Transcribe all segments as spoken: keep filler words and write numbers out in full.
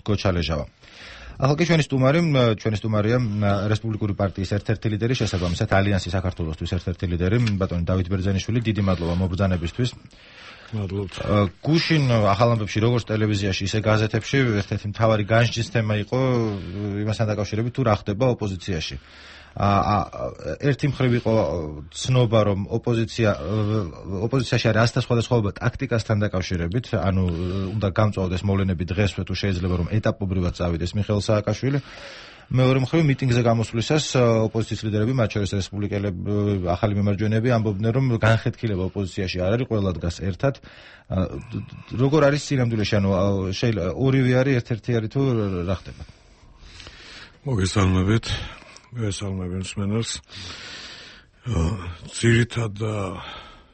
გოჩალეჟავა. ახლა კი ჩვენი სტუმარი, ჩვენი სტუმარია რესპუბლიკური პარტიის ერთ-ერთი ლიდერი, შესაბამისად ალიანსი საქართველოსთვის ერთ-ერთი ლიდერი, ბატონი დავით ბერძენიშვილი. დიდი მადლობა მობრძანებისთვის. მადლობთ. გუშინ ახალ ამბებში, როგორც ტელევიზიაში, ისე გაზეთებში ერთ-ერთი მთავარი განსჯის თემა იყო იმასთან დაკავშირებით, თუ რა ხდება ოპოზიციაში. ერთი მხრივ იყო ცნობა, რომ ოპოზიცია ოპოზიციაში არის ასთა სხვადასხვაობა ტაქტიკასთან დაკავშირებით, ანუ უნდა გამწვავდეს მოვლენები დღესვე, თუ შეიძლება რომ ეტაპობრივად წავიდეს მიხეილ სააკაშვილი. მეორე მხრივ მიტინგზე გამოსვლისას ოპოზიციის ლიდერები, მათ შორის რესპუბლიკელები, ახალი მემარჯვენეები ამბობდნენ, რომ განხეთქილება ოპოზიციაში არ არის, ყველა დგას ერთად. როგორ არის სინამდვილეში, ანუ შეიძლება ორივე არის, ერთ-ერთი არის თუ რა ხდება? მოგესალმებით. გესალმები მსმენელს. ძირითად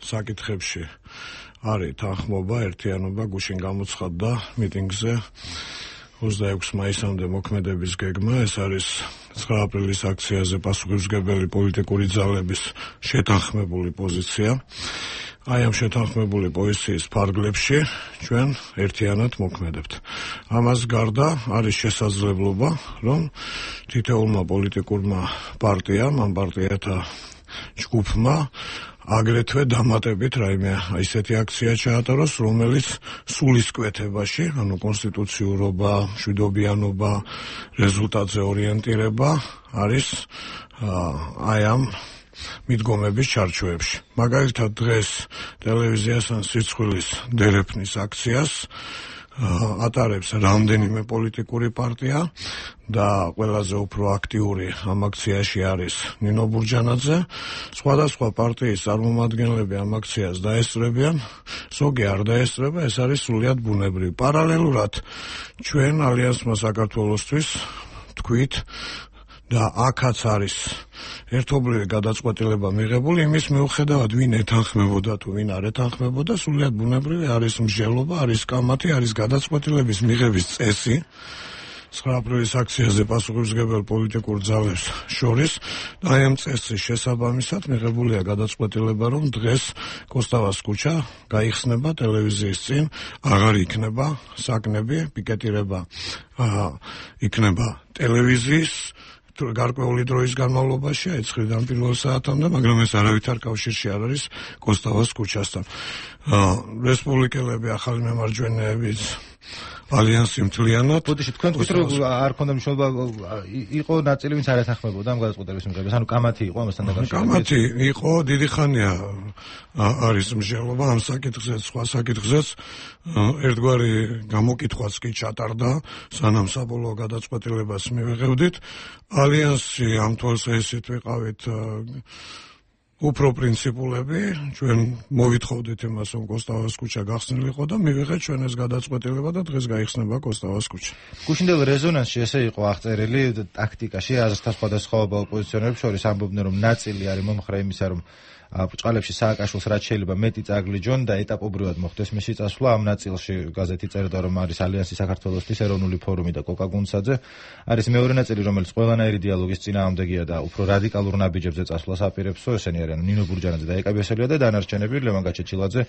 საკითხებში არის თანხმობა, ერთიანობა. გუშინ გამოცხადდა მიტინგზე ოცდაექვსი მაისამდე მოქმედების გეგმა. ეს არის ცხრა აპრილის აქციაზე პასუხისმგებელი პოლიტიკური ძალების შეთანხმებული პოზიცია. აი ამ შეთანხმებული პოზიციის ფარგლებში ჩვენ ერთიანად მოქმედებთ. ამას გარდა არის შესაძლებლობა, რომ თითოეულმა პოლიტიკურმა პარტიამ, ამ პარტიათა ჯგუფმა აგრეთვე დამატებით რაიმე ისეთი აქცია ჩაატაროს, რომელიც სულისკვეთებაში, ანუ კონსტიტუციურობა, მშვიდობიანობა, რეზულტატზე ორიენტირება არის აი ამ მიდგომების ჩარჩოებში. მაგალითად დღეს ტელევიზიასთან სირცხვილის დერეფნის აქციას ატარებს რამდენიმე პოლიტიკური პარტია და ყველაზე უფრო აქტიური ამ აქციაში არის ნინო ბურჯანაძე. სხვადასხვა პარტიის წარმომადგენლები ამ აქციას დაესწრებიან, ზოგი არ დაესწრება, ეს არის სრულიად ბუნებრივი. პარალელურად ჩვენ ალიანსმა საქართველოსთვის თქვით და აქაც არის ერთობლივი გადაწყვეტილება მიღებული იმის მიუხედავად, ვინ ეთანხმებოდა თუ ვინ არ ეთანხმებოდა, სრულიად ბუნებრივი არის მსჯელობა, არის კამათი, არის გადაწყვეტილების მიღების წესი. ცხრა აპრილის აქციაზე პასუხისმგებელ პოლიტიკურ ძალებს შორის და აი ამ წესის შესაბამისად მიღებულია გადაწყვეტილება, რომ დღეს კოსტავას ქუჩა გაიხსნება ტელევიზიის წინ, აღარ იქნება საკნები, პიკეტირება იქნება ტელევიზიის გარკვეული დროის განმავლობაში, აი ცხრიდან პირველ საათამდე, მაგრამ ეს არავითარ კავშირში არ არის კოსტავას ქუჩასთან. რესპუბლიკელები, ახალი მემარჯვენეებიც, ალიანსი მთლიანად. ბოდიში, თქვენ თქვით, რომ არ ქონდა მნიშვნელობა, იყო ნაწილი, ვინც არ ეთანხმებოდა ამ გადაწყვეტილების მიღებას, ანუ კამათი იყო ამასთან დაკავშირებით. კამათი იყო, დიდი ხანია არის მსჯელობა ამ საკითხზეც, სხვა საკითხზეც. ერთგვარი გამოკითხვაც კი ჩატარდა, სანამ საბოლოო გადაწყვეტილებას მივიღებდით. ალიანსი ამ თვალსაზრისით ვიყავით უფრო პრინციპულები, ჩვენ მოვითხოვდით იმას, რომ კოსტავას ქუჩა გახსნილიყო და მივიღეთ ჩვენ ეს გადაწყვეტილება და დღეს გაიხსნება კოსტავას ქუჩა. გუშინდელ რეზონანსში ესე იყო აღწერილი ტაქტიკაში, აზრთა სხვადასხვაობა ოპოზიციონერებს შორის ამბობდნენ, რომ ნაწილი არის მომხრე იმისა, რომ ბრჭყალებში სააკაშვილს რაც შეიძლება მეტი წაგლიჯონ და ეტაპობრივად მოხდეს მისი წასვლა. ამ ნაწილში გაზეთი წერდა, რომ არის ალიანსი საქართველოსთვის ეროვნული ფორუმი და კოკა გუნცაძე. არის მეორე ნაწილი, რომელიც ყველანაირი დიალოგის წინააღმდეგია და უფრო რადიკალურ ნაბიჯებზე წასვლას აპირებსო. ესენი არიან ნინო ბურჯანაძე და ეკა ბესელია და დანარჩენები ლევან გაჩეჩილაძე,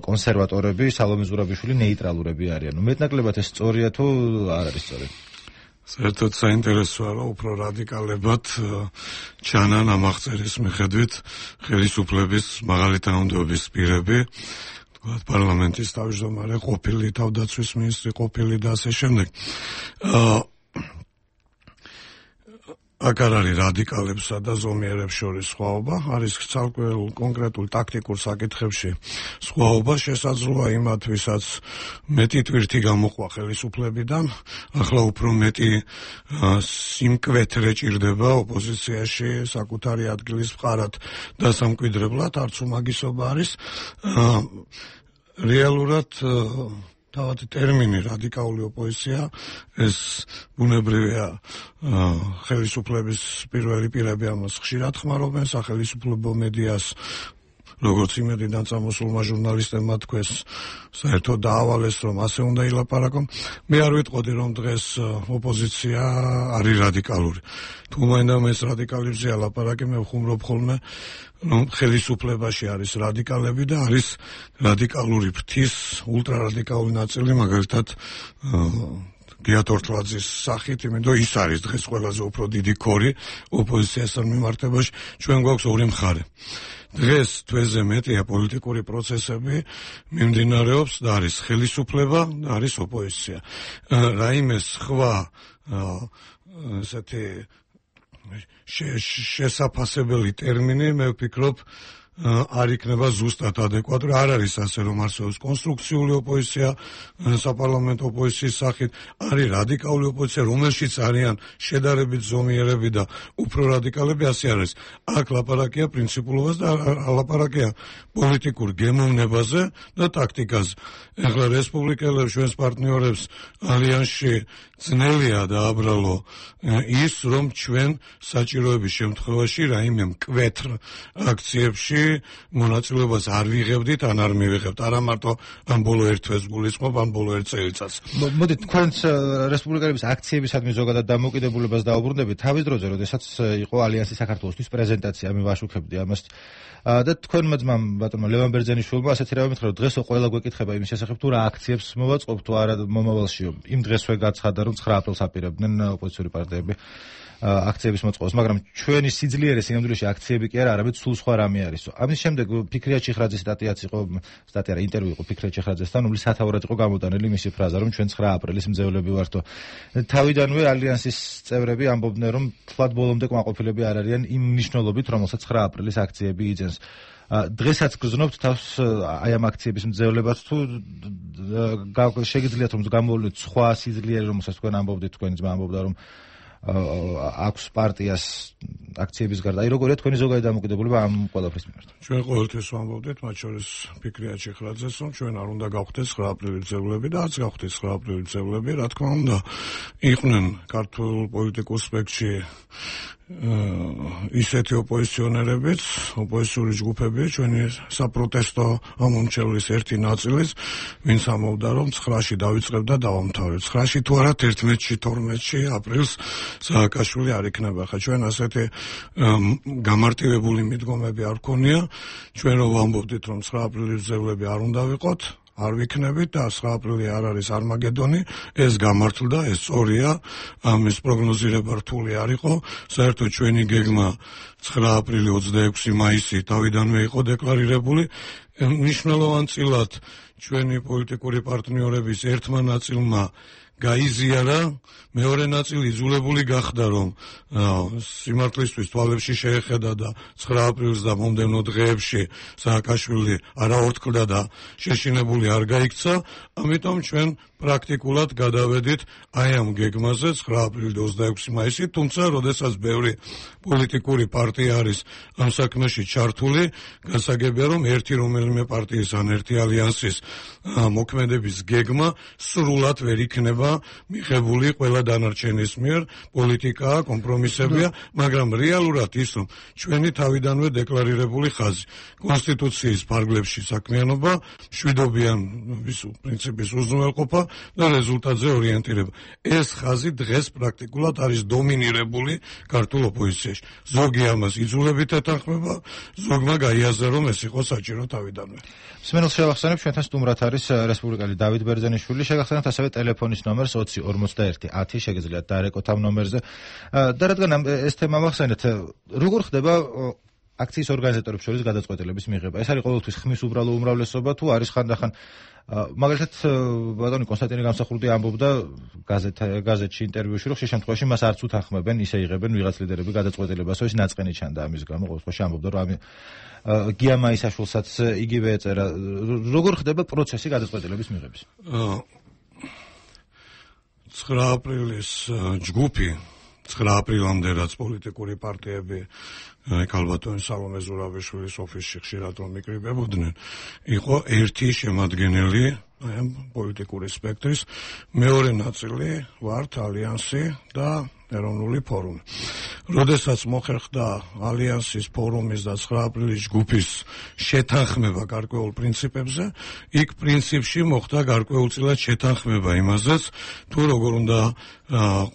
კონსერვატორები, სალომე ზურაბიშვილი ნეიტრალურები არიან. მეტნაკლებად ეს სწორია თუ არ არის სწორი? საერთოდ საინტერესოა, რომ უფრო რადიკალებად ჩანან ამ აღწერის მიხედვით ხელისუფლების მაღალი თანამდებობის პირები, თქვათ პარლამენტის თავმჯდომარე, ყოფილი თავდაცვის მინისტრი, ყოფილი და ასე შემდეგ. აქ არ არის რადიკალებსა და ზომიერებს შორის სხვაობა, არის ცალკე კონკრეტულ ტაქტიკურ საკითხებში სხვაობა, შესაძლოა იმათ, ვისაც მეტი ტვირთი გამოყვა ხელისუფლებიდან, ახლა უფრო მეტი სიმკვეთრე ჭირდება ოპოზიციაში საკუთარი ადგილის მყარად დასამკვიდრებლად, არც უმაგისობა არის. რეალურად თავად ტერმინი რადიკალური ოპოზიცია ეს ბუნებრივია ხელისუფლების პირველი პირები ამას ხშირად ხმარობენ სახელმწიფო მედიას როგორც იმედიდან წამოსულმა ჟურნალისტებმა თქვეს საერთოდ დაავალეს რომ ასე უნდა ილაპარაკონ. მე არ ვიტყოდი რომ დღეს ოპოზიცია არის რადიკალური. თუ მაინც ეს რადიკალებზე ლაპარაკი მე ვხუმრობ ხოლმე რომ ხელისუფლებაში არის რადიკალები და არის რადიკალური ფრთის ულტრარადიკალური ნაწილი მაგალითად გია თორთლაძის სახით, იმიტომ ის არის დღეს ყველაზე უფრო დიდი ქორი ოპოზიციასთან მიმართებაში. ჩვენ გვაქვს ორი მხარე. დღეს თვეზე მეტია პოლიტიკური პროცესები მიმდინარეობს და არის ხელისუფლება და არის ოპოზიცია. რაიმე სხვა ესეთი შესაფასებელი ტერმინი მე ვფიქრობ არ იქნება ზუსტად ადეკვატური. არ არის ასე რომ არსებობს კონსტრუქციული ოპოზიცია საპარლამენტო ოპოზიციის სახით, არის რადიკალური ოპოზიცია, რომელშიც არიან შედარებით ზომიერები და უფრო რადიკალები, ასე არის. აქ ლაპარაკია პრინციპულობას და ლაპარაკია პოლიტიკურ გემოვნებაზე და ტაქტიკაზე. ეხლა რესპუბლიკელებს ჩვენს პარტნიორებს ალიანსში ძნელია დააბრალო ის, რომ ჩვენ საჭიროების შემთხვევაში რაიმე მკვეთრ აქციებში მონაწილეობას არ ვიღებდით, ან არ მივიღებთ, არა მარტო ამ ბოლო ერთ თვეს გულისხმობ, ამ ბოლო ერთ წელიწადს. მოდით, თქვენს რესპუბლიკელების აქციებისადმი ზოგადად დამოუკიდებლობას დაუბრუნდებით თავის დროზე, როდესაც იყო ალიანსი საქართველოსთვის პრეზენტაცია, მე ვაშუქებდი ამას. და თქვენმა ძმამ ბატონმა ლევან ბერძენიშვილმა ასეთი რამე მითხრა, რომ დღესო ყველა გვეკითხება იმის შესახებ, თუ რა აქციებს მოვაწყობ, თუ არა მომავალშიო. იმ დღესვე გაცხადა, რომ ცხრა აპრილს აპირებდნენ ოპოზიციური პარტიები აქციების მოწყობას, მაგრამ ჩვენი სიძლიერე სინამდვილეში აქციები კი არა, არამედ სულ სხვა რამე არის. ამის შემდეგ ფიქრია ჩიხრაძის სტატიაც იყო, სტატია რა ინტერვიუ იყო ფიქრია ჩიხრაძესთან, რომლის სათაურად იყო გამოტანილი მისი ფრაზა, რომ ჩვენ ცხრა აპრილის მძევლები ვართო. თავიდანვე ალიანსის წევრები ამბობდნენ, რომ თქვათ ბოლომდე კმაყოფილები არ არიან იმ მნიშვნელობით, რომელსაც ცხრა აპრილის აქციები იძენს. დღესაც გრძნობთ თავს აი ამ აქციების მძევლებას, თუ შეგიძლიათ რომ გამოვლინოთ სხვა სიძლიერე, რომელსაც თქვენ ამბობდით, თქვენი ძმა ამბობდა, რომ აქვს პარტიას აქციების გარდა. აი როგორია თქვენი ზოგადი დამოკიდებულება ამ ყველაფრის მიმართ? ჩვენ ყოველთვის ვამბობდით, მათ შორის ფიქრია ჩიხრაძეს, რომ ჩვენ არ უნდა გავხდეთ ცხრა აპრილის მძევლები და არც გავხდით ცხრა აპრილის მძევლები, რა თქმა უნდა, იყვნენ ქართულ პოლიტიკურ სპექტრში ისეთი ოპოზიციონერებიც, ოპოზიციური ჯგუფები, ჩვენი საპროტესტო ამომრჩევლის ერთი ნაწილის, ვინც ამბობდა, რომ ცხრაში დავიწყებ და დავამთავრებ. ცხრაში თუ არა თერთმეტში, თორმეტში აპრილს სააკაშვილი არ იქნება. ხა ჩვენ ასეთი გამარტივებული მიდგომები არ გქონია. ჩვენ რომ ვამბობდით, რომ ცხრა აპრილის მძევლები არ უნდა ვიყოთ, არ ვიქნებით და ცხრა აპრილი არ არის არმაგედონი, ეს გამართლდა, ეს სწორია, ამის პროგნოზირება რთული არ იყო. საერთოდ ჩვენი გეგმა ცხრა აპრილი ოცდაექვსი მაისი თავიდანვე იყო დეკლარირებული. მნიშვნელოვანწილად ჩვენი პოლიტიკური პარტნიორების ერთმა ნაწილმა გაიზიარა, მეორე ნაწილი იძულებული გახდა, რომ სიმართლისთვის თვალებში შეეხედა და ცხრა აპრილს და მომდევნო დღეებში სააკაშვილი არაორთქლდა და შეშინებული არ გაიქცა, ამიტომ ჩვენ პრაქტიკულად გადავედით აი ამ გეგმაზე ცხრა აპრილი და ოცდაექვსი მაისი, თუმცა როდესაც ბევრი პოლიტიკური პარტია არის ამ საქმეში ჩართული, გასაგებია, რომ ერთი რომელიმე პარტიის ან ერთი ალიანსის მოქმედების გეგმა სრულად ვერ იქნება მიღებული ყველა დანარჩენის მიერ, პოლიტიკაა, კომპრომისებია, მაგრამ რეალურად ის, რომ ჩვენი თავიდანვე დეკლარირებული ხაზი, კონსტიტუციის ფარგლებში საქმიანობა, მშვიდობიან პრინციპის უზრუნველყოფა და რეზულტატზე ორიენტირება. ეს ხაზი დღეს პრაქტიკულად არის დომინირებული ქართულ ოპოზიციაში. ზოგი ამას იძულებით ეთანხმება, ზოგმა გაიაზრა, რომ ეს იყო საჭირო თავიდანვე. მსმენელს შევახსენებ, ჩვენთან სტუმრად არის რესპუბლიკელი დავით ბერძენიშვილი, შეგახსენებთ ასევე ტელეფონის ნომერს ოცი ორმოცდაერთი ათი, შეგიძლიათ დაარეკოთ ამ ნომერზე. და რადგან ეს თემა მახსენეთ, როგორ ხდება აქციის ორგანიზატორებს შორის გადაწყვეტილების მიღება? ეს არის ყოველთვის ხმის უბრალო უმრავლესობა, თუ არის ხანდახან მაგალითად ბატონი კონსტანტინე გამსახურდი ამბობდა გაზეთ გაზეთში ინტერვიუში, რომ ხშირ შემთხვევაში მას არც უთანხმებენ, ისე იღებენ ვიღაც ლიდერები გადაწყვეტილებასო, ეს ნაწყენი ჩანდა ამის გამო, ყოველ შემთხვევაში ამბობდა, რომ გია მაისაშვილსაც იგივე ეწერა. როგორ ხდება პროცესი გადაწყვეტილების მიღების? ცხრა აპრილის ჯგუფი, ცხრა აპრილამდე რაც პოლიტიკური პარტიები ქალბატონი სალომე ზურაბიშვილის ოფისში ხშირად რომ მიკრიბებოდნენ, იყო ერთი შემადგენელი ამ პოლიტიკური სპექტრის, მეორე ნაწილი ვართ ალიანსი და ეროვნული ფორუმი. როდესაც მოხერხდა ალიანსის ფორუმის და ცხრა აპრილის ჯგუფის შეთანხმება გარკვეულ პრინციპებზე, იქ პრინციპში მოხდა გარკვეულწილად შეთანხმება იმაზეც, თუ როგორ უნდა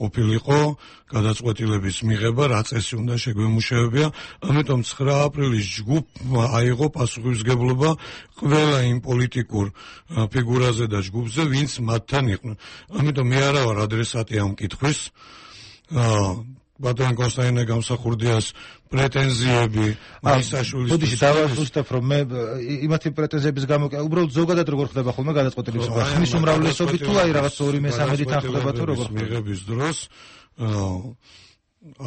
ყოფილიყო გადაწყვეტილების მიღება, რა წესი უნდა შეგვემუშავებია, ამიტომ ცხრა აპრილის ჯგუფმა აიღო პასუხისმგებლობა ყველა იმ პოლიტიკურ ფიგურაზე და ჯგუფზე, ვინც მათთან იყვნენ. ამიტომ მე არა ვარ ადრესატი ამ კითხვის. ბატონ კონსტანტინე გამსახურდიას პრეტენზიები მისაშვილის ბოდიში დავაზუსტებ რომ მე იმათი პრეტენზიების გამო უბრალოდ ზოგადად როგორ ხდება ხოლმე გადაწყვეტილების მიღება ხმის უმრავლესობით თუ აი რაღაც ორი მესამედი თან ხდება თუ როგორ მიღების დროს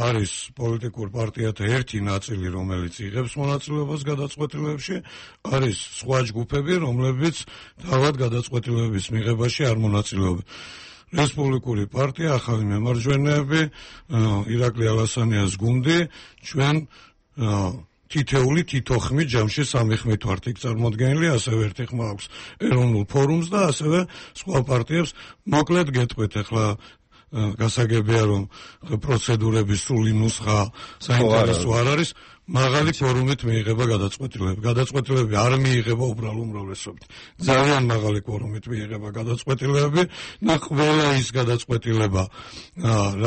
არის პოლიტიკურ პარტიათა ერთი ნაწილი, რომელიც იღებს მონაწილეობას გადაწყვეტილებებში, არის სხვა ჯგუფები, რომლებიც თავად გადაწყვეტილების მიღებაში არ მონაწილეობენ. რესპუბლიკური პარტია, ახალი მემარჯვენეები, ირაკლი ალასანიას გუნდი, ჩვენ თითეული თითო ხმით ჯამში სამი ხმით ვართ იქ წარმოდგენილი, ასევე ერთი ხმა აქვს ეროვნულ ფორუმს და ასევე სხვა პარტიებს. მოკლედ გეტყვით ახლა გასაგებია რომ პროცედურების სრული ნუსხა საინტერესო არ არის, მაღალი კვორუმით მიიღება გადაწყვეტილება. გადაწყვეტილებები არ მიიღება უბრალო უმრავლესობით. ძალიან მაღალი კვორუმით მიიღება გადაწყვეტილებები და ყველა ის გადაწყვეტილება,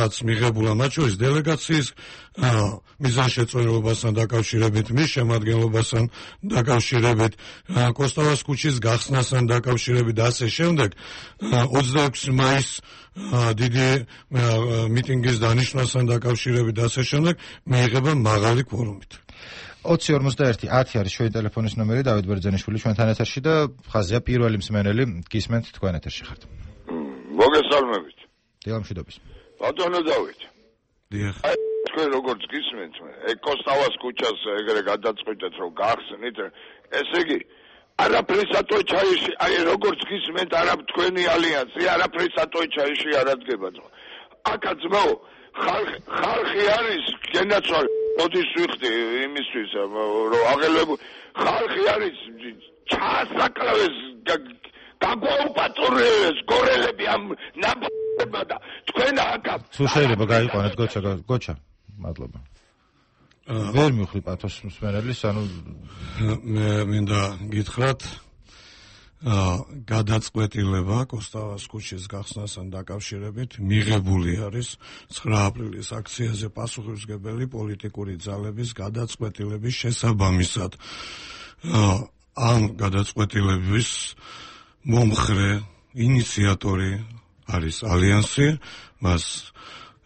რაც მიღებულა მათ შორის დელეგაციის მიზანშეწონილობასთან დაკავშირებით, მის შემადგენლობასთან დაკავშირებით, კოსტავას ქუჩის გახსნასთან დაკავშირებით და ასე შემდეგ, ოცდაექვსი მაისს დიდი მიტინგის დანიშნვასთან დაკავშირებით და ასე შემდეგ მიიღება მაღალი კვორუმით. ოცი ორმოცდაერთი ათი არის ჩვენი ტელეფონის ნომერი, დავით ბერძენიშვილი ჩვენთან ეთერში და ხაზია პირველი მსმენელი, გისმენთ თქვენ ეთერში ხართ. მოგესალმებით. დილამშვიდობის. ბატონო დავით. დიახ. თქვენ როგორც გისმენთ, კოსტავას ქუჩას ეგრე გადაწყვეტეთ რომ გახსნით, ესე იგი არაფრის ატოჩაიში, აი როგორც გისმენთ, არა თქვენი ალიანსი, არაფრის ატოჩაიში არ ადგება. აკა ძმაო, ხალხი არის გენაცვალ, მოდის ვიხდი იმისთვის, რომ აღელვებო, ხალხი არის ჩაასაკლავეს, გაგვაუპატრონეს გორელები ამ ნაბადება და თქვენ აკა. სულ შეიძლება გაიყვანეთ გოჩა, გოჩა. მადლობა. ვერ მივხვდი პათოს მსმენელის, ანუ მე მინდა გითხრათ, გადაწყვეტილება კოსტავას ქუჩის გახსნასთან დაკავშირებით მიღებული არის ცხრა აპრილის აქციაზე პასუხისმგებელი პოლიტიკური ძალების გადაწყვეტილების შესაბამისად. ამ გადაწყვეტილების მომხრე ინიციატორი არის ალიანსი, მას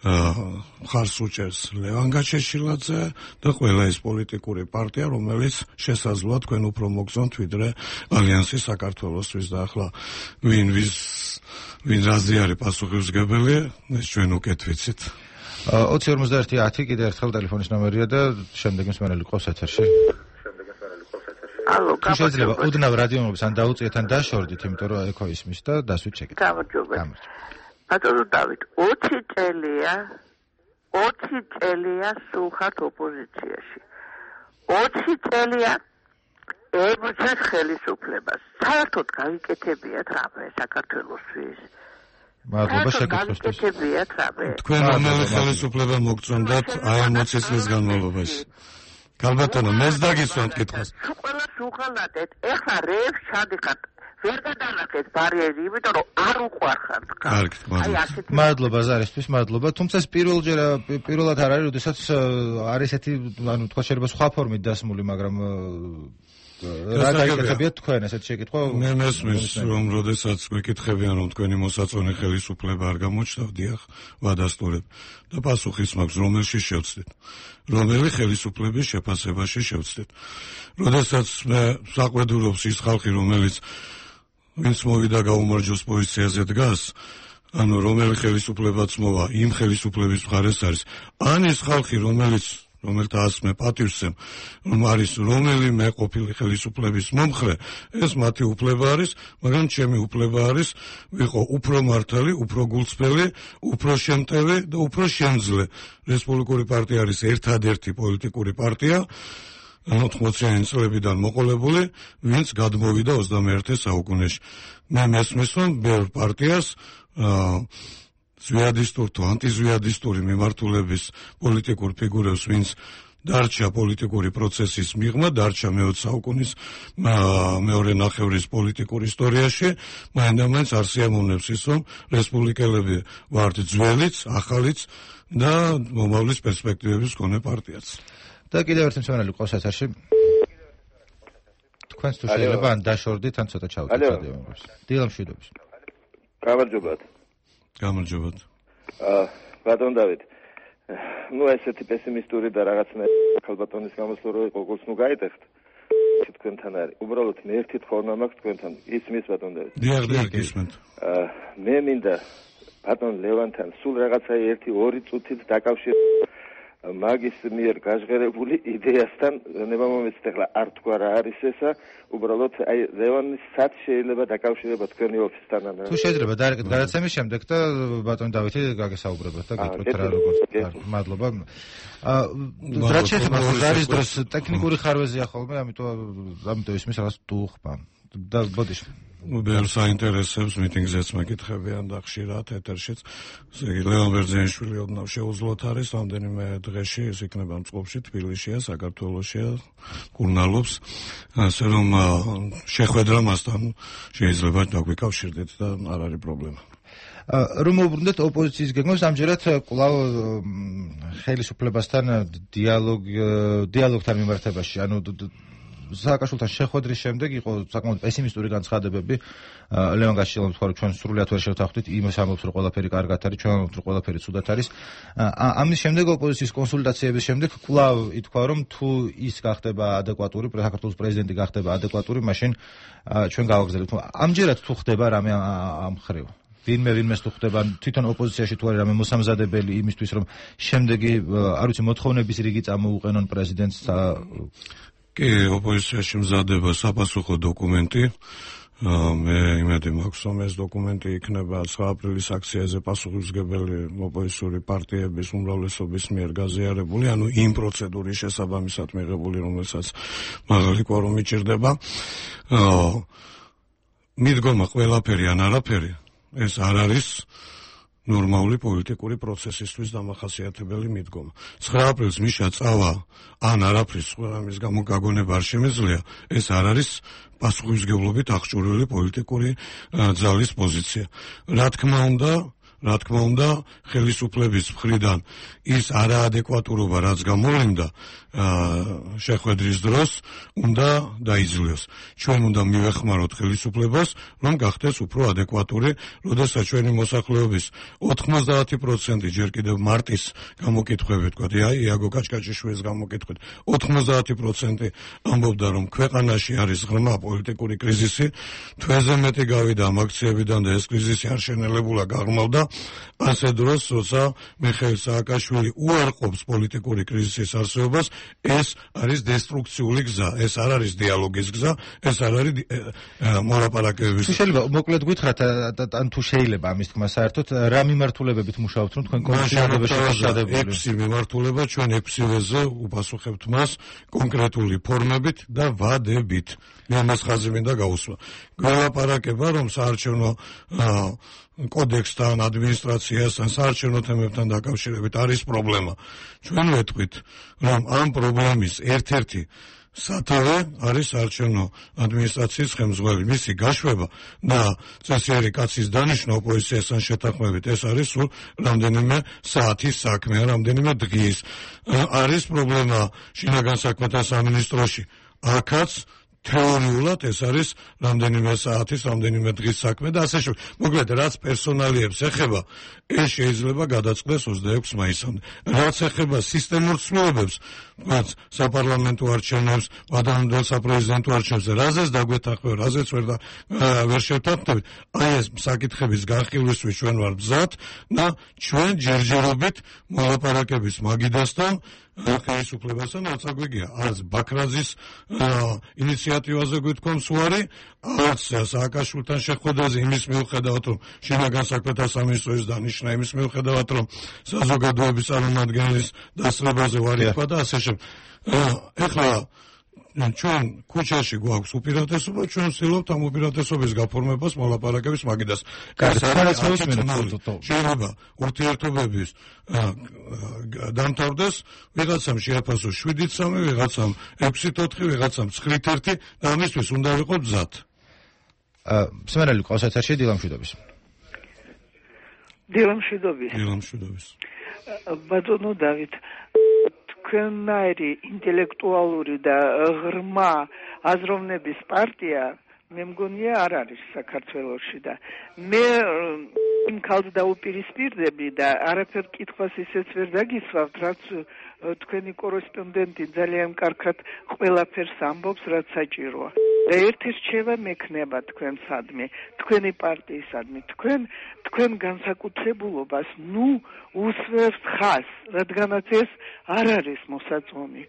ხარს უჭერს ლევან გაჩეშილაძე და ყველა ის პოლიტიკური პარტია, რომელიც შესაძლოა თქვენ უფრო მოგზონთ ვიდრე ალიანსი საქართველოსთვის და ახლა ვინ ვის ვინ რაზე არის პასუხისმგებელი, ეს ჩვენ უკეთ ვიცით. ოცი ორმოცდაერთი ათი კიდე ერთხელ ტელეფონის ნომერია და შემდეგ მსმენელი ყავს ეთერში. ალო, შეიძლება ოდნავ რადიომობის ან დაუწიეთ ან დაშორდით, იმიტომ რომ ეკო ისმის და დასვით შეგეთ. გამარჯობა. ბატონო დავით, ოცი წელია, ოცი წელია სულხართ ოპოზიციაში. ოცი წელია ებრძვით ხელისუფლებას. საერთოდ გავიკეთებიათ რამე საქართველოსთვის. მადლობა შეკითხვისთვის. გავიკეთებიათ რამე. თქვენ რომელი ხელისუფლება მოგწონდათ აი ამ ოცი წლის განმავლობაში? გალბატონო, მეს დაგისვამთ კითხვას. ყველა სულხანადეთ, ეხლა რეებს ჩადიხართ. ვერ გადანახეთ ბარიერი, იმიტომ რომ არ უყვარხართ. კარგით, მადლობა. მადლობა ზარისთვის, მადლობა. თუმცა პირველჯერ პირველად არ არის, როდესაც არის ესეთი, ანუ თქვა შეიძლება სხვა ფორმით დასმული, მაგრამ რა გაიგებიათ თქვენ ესეთ შეკითხვა? მე მესმის, რომ როდესაც გვეკითხებიან, რომ თქვენი მოსაწონე ხელისუფლება არ გამოჩნდა, დიახ, ვადასტურებ. და პასუხიც მაქვს, რომელში შევცდით. რომელი ხელისუფლების შეფასებაში შევცდით. როდესაც მე საყვედურობს ის ხალხი, რომელიც ვინც მოვიდა გაუმარჯოს პოზიციაზე დგას, ანუ რომელი ხელისუფლებაც მოვა, იმ ხელისუფლების მხარეს არის. ან ის ხალხი, რომელიც რომელთაც მე პატივსცემ, რომ არის რომელიმე ყოფილი ხელისუფლების მომხრე, ეს მათი უფლება არის, მაგრამ ჩემი უფლება არის ვიყო უფრო მართალი, უფრო გულწრფელი, უფრო შემტევი და უფრო შემძლე. რესპუბლიკური პარტია არის ერთადერთი პოლიტიკური პარტია ოთხმოციანი წლებიდან მოყოლებული, ვინც გადმოვიდა ოცდამეერთე საუკუნეში. მე მესმის, რომ ბევრ პარტიას ზვიადისტურ თუ ანტიზვიადისტური მიმართულების პოლიტიკურ ფიგურებს, ვინც დარჩა პოლიტიკური პროცესის მიღმა, დარჩა მეოცე საუკუნის მეორე ნახევრის პოლიტიკურ ისტორიაში, მაინდამაინც არ სიამოვნებს ის, რომ რესპუბლიკელები ვართ ძველიც, ახალიც და მომავლის პერსპექტივების მქონე პარტიაც. და კიდევ ერთი მსმენელი ყავს ეთერში. თქვენს თუ შეიძლება ან დაშორდით, ან ცოტა ჩავდით ადამიანებს. დილა მშვიდობის. გამარჯობათ. გამარჯობათ. აა ბატონ დავით. ну ესეთი პესიმისტური და რაღაცნაირი ქალბატონის გამოსვლა რო იყო, გულს ნუ გაიტეხთ. თქვენთან არის. უბრალოდ მე ერთი თხოვნა მაქვს თქვენთან. ისმის ბატონ დავით. დიახ, დიახ, ისმენთ. აა მე მინდა ბატონ ლევანთან სულ რაღაცა ერთი ორი წუთით დაკავშირ მაგის მიერ გაჟღერებული იდეასთან ნებამომეცით ახლა არ თქვა რა არის ესა, უბრალოდ აი ლევანის სად შეიძლება დაკავშირება თქვენი ოფისთან ან თუ შეიძლება დაერეკეთ გადაცემის შემდეგ და ბატონ დავითი გაგესაუბრებათ და გეტყვით რა როგორც მადლობა. აა რაც შეეხება ზარის დროს ტექნიკური ხარვეზია ხოლმე, ამიტომ ამიტომ ისმის რაღაც დუხმა და ბოდიში ბევრ საინტერესებს მიტინგზეც მეკითხებიან და ხშირად ეთერშიც. ესე იგი ლევან ბერძენიშვილი ოდნავ შეუძლოთ არის, რამდენიმე დღეში ის იქნება მწყობში, თბილისშია, საქართველოშია, კურნალობს, ასე რომ შეხვედრა მასთან შეიძლება დაგვიკავშირდეთ და არ არის პრობლემა. რომ მოვუბრუნდეთ ოპოზიციის გეგმებს, ამჯერად კვლავ ხელისუფლებასთან დიალოგ დიალოგთან მიმართებაში, ანუ სააკაშვილთან შეხვედრის შემდეგ იყო საკმაოდ პესიმისტური განცხადებები. ლევან გაშიძეა თქვა, რომ ჩვენ სრულიად ვერ შევთანხმდით, იმას ამბობს, რომ ყველაფერი კარგად არის, ჩვენ ამბობთ, რომ ყველაფერი ცუდად არის. ამის შემდეგ ოპოზიციის კონსულტაციების შემდეგ კვლავ ითქვა, რომ თუ ის გახდება ადეკვატური, საქართველოს პრეზიდენტი გახდება ადეკვატური, მაშინ ჩვენ გავაგრძელებთ. ამჯერად თუ ხდება რამე ამ ხრივ? ვინმე ვინმეს თუ ხდება თვითონ ოპოზიციაში თუ არის რამე მოსამზადებელი იმისთვის, რომ შემდეგი არ ვიცი მოთხოვნების რიგი წამოუყენონ პრეზიდენტს. კი, ოპოზიციაში მზადება საპასუხო დოკუმენტი. მე იმედი მაქვს, რომ ეს დოკუმენტი იქნება ცხრა აპრილის აქციაზე პასუხისმგებელი ოპოზიციური პარტიების უმრავლესობის მიერ გაზიარებული, ანუ იმ პროცედურის შესაბამისად მიღებული, რომელსაც მაღალი კვორუმი ჭირდება. მიდგომა ყველაფერი ან არაფერი, ეს არ არის ნორმალური პოლიტიკური პროცესისთვის დამახასიათებელი მიდგომა. ცხრა აპრილს მიშა წავა ან არაფრის ამის გამო გაგონება არ შემეძლია, ეს არ არის პასუხისმგებლობით აღჭურვილი პოლიტიკური ძალის პოზიცია. რა თქმა უნდა, რა თქმა უნდა, ხელისუფლების მხრიდან ის არაადეკვატურობა, რაც გამოვლინდა შეხვედრის დროს, უნდა დაიძლიოს. ჩვენ უნდა მივეხმაროთ ხელისუფლებას, რომ გახდეს უფრო ადეკვატური, როდესაც ჩვენი მოსახლეობის ოთხმოცდაათი პროცენტი ჯერ კიდევ მარტის გამოკითხვები თქვა, აი იაგო კაჭკაჭიშვილის გამოკითხვით, ოთხმოცდაათი პროცენტი ამბობდა, რომ ქვეყანაში არის ღრმა პოლიტიკური კრიზისი, თვეზე მეტი გავიდა ამ აქციებიდან და ეს კრიზისი არ შენელებულა გაღრმავდა. ასე დროს, როცა მიხეილ სააკაშვილი უარყოფს პოლიტიკური კრიზისის არსებობას, ეს არის დესტრუქციული გზა, ეს არ არის დიალოგის გზა, ეს არ არის მოლაპარაკებების. თუ შეიძლება მოკლედ გითხრათ, ან თუ შეიძლება ამის თქმა საერთოდ, რა მიმართულებებით მუშაობთ, რომ თქვენ კონკრეტულობაში შედარებული? ექვსი მიმართულება, ჩვენ ექვსივეზე უპასუხებთ მას კონკრეტული ფორმებით და ვადებით. მე ამას ხაზი მინდა გაუსვა. გველაპარაკება, რომ საარჩევნო კოდექსთან, ადმინისტრაციასთან, საარჩევნო თემებთან დაკავშირებით არის პრობლემა. ჩვენ ვეთქვით, რომ ამ პრობლემის ერთ-ერთი სათავე არის საარჩევნო ადმინისტრაციის ხელმძღვანელი, მისი გაშვება და წესიერი კაცის დანიშვნა ოპოზიციასთან შეთანხმებით, ეს არის სულ რამდენიმე საათის საქმე, რამდენიმე დღის. არის პრობლემა შინაგან საქმეთა სამინისტროში. აქაც თეორიულად ეს არის რამდენიმე საათის, რამდენიმე დღის საქმე და ასე შემდეგ. მოკლედ, რაც პერსონალიებს ეხება, ეს შეიძლება გადაწყდეს ოცდაექვსი მაისამდე. რაც ეხება სისტემურ ცვლილებებს, რაც საპარლამენტო არჩევნებს, ადამიანთა საპრეზიდენტო არჩევნებს, რაზეც დაგვეთანხმება, რაზეც ვერ და ვერ შევთანხმდებით, აი ეს საკითხების განხილვისთვის ჩვენ ვარ მზად და ჩვენ ჯერჯერობით მოლაპარაკების მაგიდასთან ხელისუფლებასთან რაც აგვიგია, არც ბაქრაძის ინიციატივაზე გვითქვამს უარი, არც სააკაშვილთან შეხვედრაზე იმის მიუხედავად, რომ შინაგან საქმეთა სამინისტროს დანიშნა, იმის მიუხედავად, რომ საზოგადოების წარმომადგენლის დასწრებაზე ვარი თქვა და ასე შემდეგ. ეხლა ჩვენ ქუჩაში გვაქვს უპირატესობა, ჩვენ ვცდილობთ ამ უპირატესობის გაფორმებას მოლაპარაკების მაგიდას. შეიძლება ურთიერთობების დამთავრდეს, ვიღაცამ შეაფასოს შვიდით სამი, ვიღაცამ ექვსით ოთხი, ვიღაცამ ცხრით ერთი და ამისთვის უნდა ვიყოთ მზად. მსმენელი ყავს ეთერში დილამშვიდობის. დილამშვიდობის. დილამშვიდობის. ბატონო დავით, თქვენნაირი ინტელექტუალური და ღრმა აზროვნების პარტია მე მგონია არ არის საქართველოში და მე იმ ქალს დაუპირისპირდები და არაფერ კითხვას ისეც ვერ დაგისვავთ, რაც თქვენი კორესპონდენტი ძალიან კარგად ყველაფერს ამბობს, რაც საჭიროა. და ერთი რჩევა მექნება თქვენსადმი, თქვენი პარტიისადმი, თქვენ თქვენ განსაკუთრებულობას ნუ უსვევთ ხას, რადგანაც ეს არ არის მოსაწონი.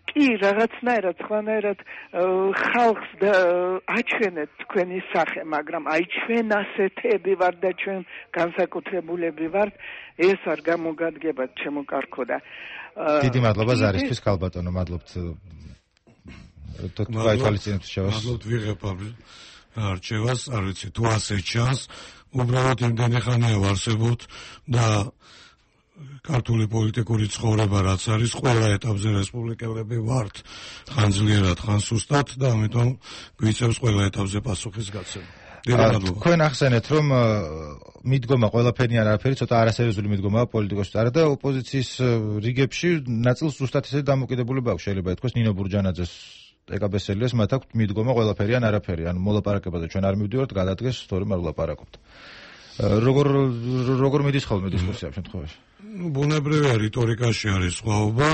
კი, რაღაცნაირად, სხვანაირად ხალხს აჩვენეთ თქვენი სახე, მაგრამ აი ჩვენ ასეთები ვარ და ჩვენ განსაკუთრებულები ვართ, ეს არ გამოგადგებათ ჩემო კარგო და დიდი მადლობა ზარისთვის, ქალბატონო, მადლობთ. მადლობთ ვიღებ არჩევას, არ ვიცი თუ ასე ჩანს, უბრალოდ იმდენი ხანია ვარსებობთ და ქართული პოლიტიკური ცხოვრება რაც არის, ყველა ეტაპზე რესპუბლიკელები ვართ, ხან ძლიერად, ხან სუსტად და ამიტომ გვიწევს ყველა ეტაპზე პასუხის გაცემა. თქვენ ახსენეთ, რომ მიდგომა ყველაფერი არაფერი, ცოტა არასერიოზული მიდგომაა პოლიტიკოსთა და ოპოზიციის რიგებში ნაწილს ზუსტად ესე დამოკიდებულება აქვს, შეიძლება ითქვას ნინო ბურჯანაძეს ეკაბესელიას, მათ აქვთ მიდგომა ყველაფერი ან არაფერი, ან მოლაპარაკებაზე ჩვენ არ მივდივართ, გადადგეს, თორემ არ ვლაპარაკობთ. როგორ როგორ მიდის ხოლმე დისკუსია ამ შემთხვევაში? ნუ ბუნებრივია, რიტორიკაში არის სხვაობა,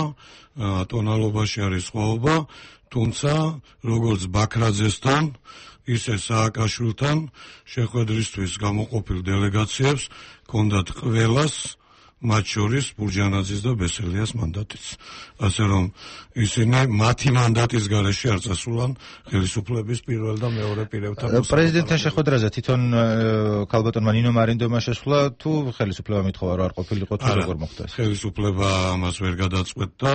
ტონალობაში არის სხვაობა, თუმცა როგორც ბაქრაძესთან, ისე სააკაშვილთან შეხვედრისთვის გამოყოფილ დელეგაციებს ჰქონდათ ყველას, მათ შორის ბურჯანაძის და ბესელიას მანდატიც. ასე რომ ისინი მათი მანდატის გარეშე არ წასულან ხელისუფლების პირველ და მეორე პირებთან. პრეზიდენტთან შეხვედრაზე თვითონ ქალბატონმა ნინო მარინდომა შესვლა თუ ხელისუფლება მithova რომ არ ყოფილიყო თუ როგორ მოხდა ეს? ხელისუფლება ამას ვერ გადაწყვეტდა.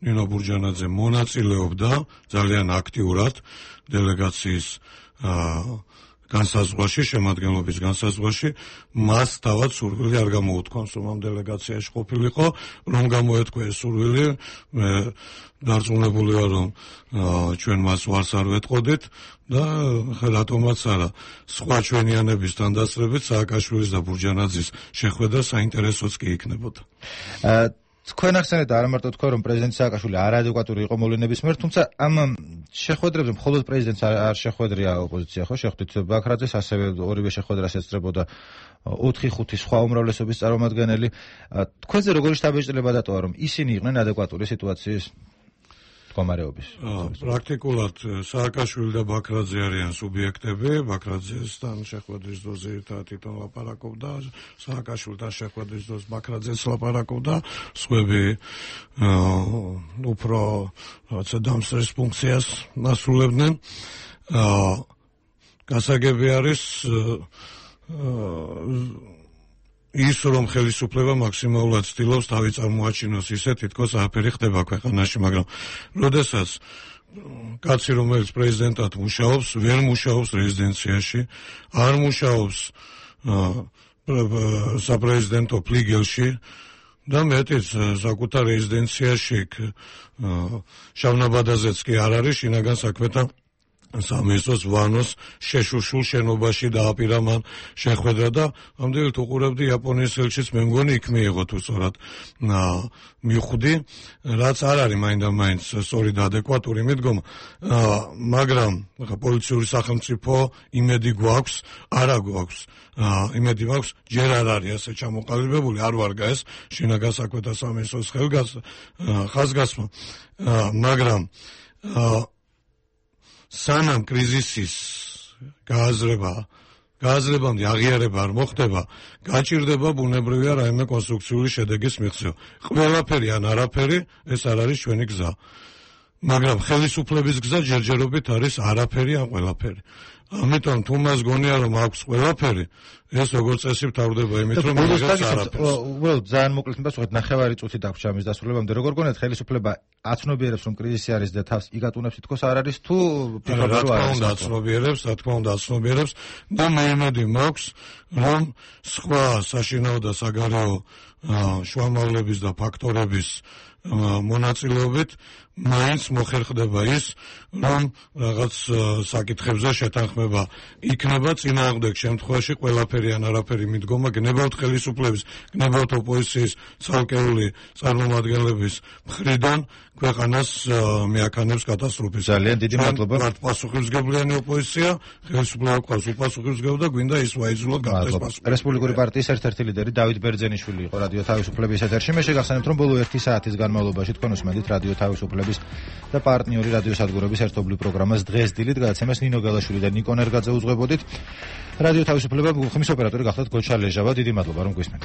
ნინო ბურჯანაძე მონაწილეობდა ძალიან აქტიურად დელეგაციის განსაზღვაში, შემადგენლობის განსაზღვაში, მას თავად სურვილი არ გამოუთქვამს, რომ ამ დელეგაციაში ყოფილიყო, რომ გამოეთქვა ეს სურვილი, მე დარწმუნებული ვარ, რომ ჩვენ მას ვარს არ ვეტყოდით და რატომაც არა, სხვა ჩვენიანების თანდასწრებით სააკაშვილის და ბურჯანაძის შეხვედრა საინტერესოც კი იქნებოდა. თქვენ ახსენეთ არა მარტო თქვენ რომ პრეზიდენტ სააკაშვილი არადეკვატური იყო მოვლენების მიერ, თუმცა ამ შეხვედრებზე მხოლოდ პრეზიდენტს არ შეხვედრია ოპოზიცია, ხო? შეხვდით ბაქრაძეს, ასევე ორივე შეხვედრას ესწრებოდა ოთხი ხუთი სხვა უმრავლესობის წარმომადგენელი. თქვენზე როგორი შთაბეჭდილება დატოვა, რომ ისინი იყვნენ ადეკვატური სიტუაციის მდგომარეობის? პრაქტიკულად სააკაშვილი და ბაქრაძე არიან სუბიექტები, ბაქრაძესთან შეხვედრის დროზე ერთად თვითონ ლაპარაკობდა, სააკაშვილთან შეხვედრის დროს ბაქრაძეც ლაპარაკობდა, სხვები უფრო რაღაცა დამსწრეს ფუნქციას ასრულებდნენ. გასაგები არის ის რომ ხელისუფლება მაქსიმალურად ცდილობს თავი წარმოაჩინოს ისე თითქოს არაფერი ხდება ქვეყანაში, მაგრამ როდესაც კაცი რომელიც პრეზიდენტად მუშაობს, ვერ მუშაობს რეზიდენციაში, არ მუშაობს საპრეზიდენტო ფლიგელში და მეტიც საკუთარ რეზიდენციაში შავნაბადაზეც კი არ არის, შინაგან საქმეთა სამეცნიერო ვანოს შეშუშულ შენობაში დააპირა მან შეხვედრა და ამდენად უყურებდი იაპონიის ელჩის, მე მგონი იქ მიიღო თუ სწორად მიხვდი, რაც არ არის მაინდა-მაინც სწორი და ადეკვატური მიდგომა, მაგრამ პოლიციური სახელმწიფო იმედი გვაქვს, არა გვაქვს, იმედი მაქვს, ჯერ არ არის ასე ჩამოყალიბებული, არ ვარგა ეს შინაგან საქმეთა სამეცნიეროს ხაზგასმა, მაგრამ სანამ კრიზისის გააზრება, გააზრებამდე აღიარება არ მოხდება, გაჭირდება ბუნებრივია რაიმე კონსტრუქციული შედეგის მიღწევა. ყველაფერი ან არაფერი, ეს არ არის ჩვენი გზა. მაგრამ ხელისუფლების გზა ჯერჯერობით არის არაფერი ან ყველაფერი. ამიტომ თუ მას გონია რომ აქვს ყველაფერი, ეს როგორც წესი მთავრდება იმით რომ იღებს არაფერს. უბრალოდ ძალიან მოკლედ მივასწროთ, ნახევარი წუთი დაგვრჩა ამის დასრულებამდე. როგორ გონიათ ხელისუფლება აცნობიერებს რომ კრიზისი არის და თავს იგატუნებს თითქოს არ არის თუ ფიქრობ რომ არ არის? აცნობიერებს, რა თქმა უნდა აცნობიერებს და მე იმედი მაქვს რომ სხვა საშინაო და საგარეო შუამავლების და ფაქტორების მონაწილეობით მაინც მოხერხდება ის, რომ რაღაც საკითხებზე შეთანხმება იქნება წინააღმდეგ შემთხვევაში ყველაფერი ან არაფერი მიდგომა გნებავთ ხელისუფლების, გნებავთ ოპოზიციის ცალკეული წარმომადგენლების მხრიდან ქვეყანას მეაქანებს კატასტროფის. ძალიან დიდი მადლობა. მათ პასუხისმგებლიანი ოპოზიცია, ხელისუფლება ყავს უპასუხისმგებლო და გვინდა ის ვაიძულოთ გახდეს პასუხისმგებლო. რესპუბლიკური პარტიის ერთ-ერთი ლიდერი დავით ბერძენიშვილი იყო რადიო თავისუფლების ეთერში. მე შეგახსენებთ რომ ბოლო ერთი საათის განმავლობაში თქვენ უსმენთ რადიო თავისუფლების და პარტნიორი რადიოსადგურების ერთობლივ პროგრამას დღეს დილით გადაცემას ნინო გალაშვილი და ნიკო ნერგაძე უძღვებოდით. რადიო თავისუფლება ხმის ოპერატორი გახლდათ გოჩა ლეჟავა. დიდი მადლობა რომ გვისმენთ.